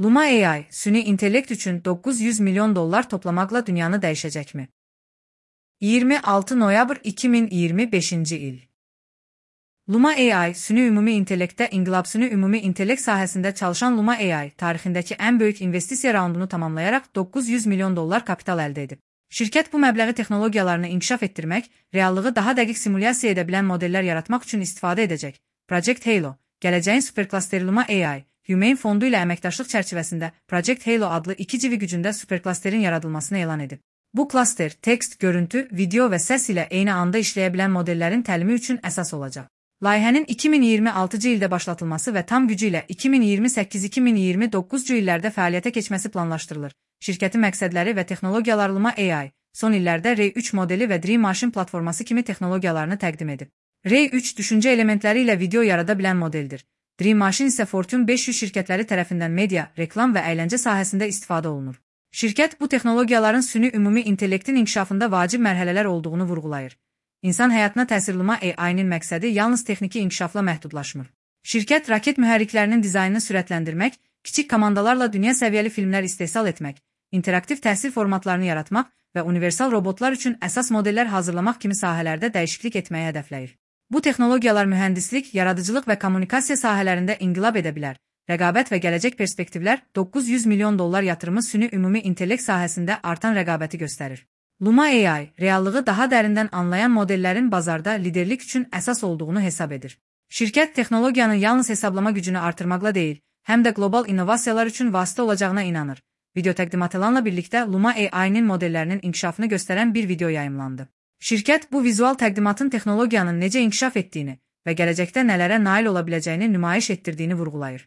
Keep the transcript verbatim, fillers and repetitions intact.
Luma A I, süni intellekt üçün doqquz yüz milyon dollar toplamaqla dünyanı dəyişəcəkmi? iyirmi altı noyabr iki min iyirmi beşinci il. Luma A I, süni ümumi intellektdə inqilab süni ümumi intellekt sahəsində çalışan Luma A I, tarixindəki ən böyük investisiya raundunu tamamlayaraq doqquz yüz milyon dollar kapital əldə edib. Şirkət bu məbləği texnologiyalarını inkişaf etdirmək, reallığı daha dəqiq simulyasiya edə bilən modellər yaratmaq üçün istifadə edəcək. Project Halo, gələcəyin superklasteri Luma A I, Humane fondu ilə əməkdaşlıq çərçivəsində Project Halo adlı iki civi gücündə superklasterin yaradılmasını elan edib. Bu klaster, tekst, görüntü, video və səs ilə eyni anda işləyə bilən modellərin təlimi üçün əsas olacaq. Layihənin iki min iyirmi altıncı ildə başlatılması və tam gücü ilə iki min iyirmi səkkiz iki min iyirmi doqquzuncu illərdə fəaliyyətə keçməsi planlaşdırılır. Şirkətin məqsədləri və texnologiyalar Luma A I, son illərdə Ray üç modeli və Dream Machine platforması kimi texnologiyalarını təqdim edib. Ray üç düşüncə elementləri ilə video yarada bilən modeldir. Dream Machine isə Fortune beş yüz şirkətləri tərəfindən media, reklam və əyləncə sahəsində istifadə olunur. Şirkət bu texnologiyaların süni ümumi intellektin inkişafında vacib mərhələlər olduğunu vurğulayır. İnsan həyatına təsir Luma A I-nin məqsədi yalnız texniki inkişafla məhdudlaşmır. Şirkət raket mühərriklərinin dizaynını sürətləndirmək, kiçik komandalarla dünya səviyyəli filmlər istehsal etmək, interaktiv təhsil formatlarını yaratmaq və universal robotlar üçün əsas modellər hazırlamaq kimi sahələrdə dəyişiklik etməyi hədəfləyir. Bu texnologiyalar mühəndislik, yaradıcılıq və kommunikasiya sahələrində inqilab edə bilər. Rəqabət və gələcək perspektivlər doqquz yüz milyon dollar yatırımı süni ümumi intellekt sahəsində artan rəqabəti göstərir. Luma A I, reallığı daha dərindən anlayan modellərin bazarda liderlik üçün əsas olduğunu hesab edir. Şirkət texnologiyanın yalnız hesablama gücünü artırmaqla deyil, həm də qlobal innovasiyalar üçün vasitə olacağına inanır. Video təqdimatlanla birlikdə Luma A I-nin modellərinin inkişafını göstərən bir video yayımlandı. Şirkət bu vizual təqdimatın texnologiyanın necə inkişaf etdiyini və gələcəkdə nələrə nail ola biləcəyini nümayiş etdirdiyini vurğulayır.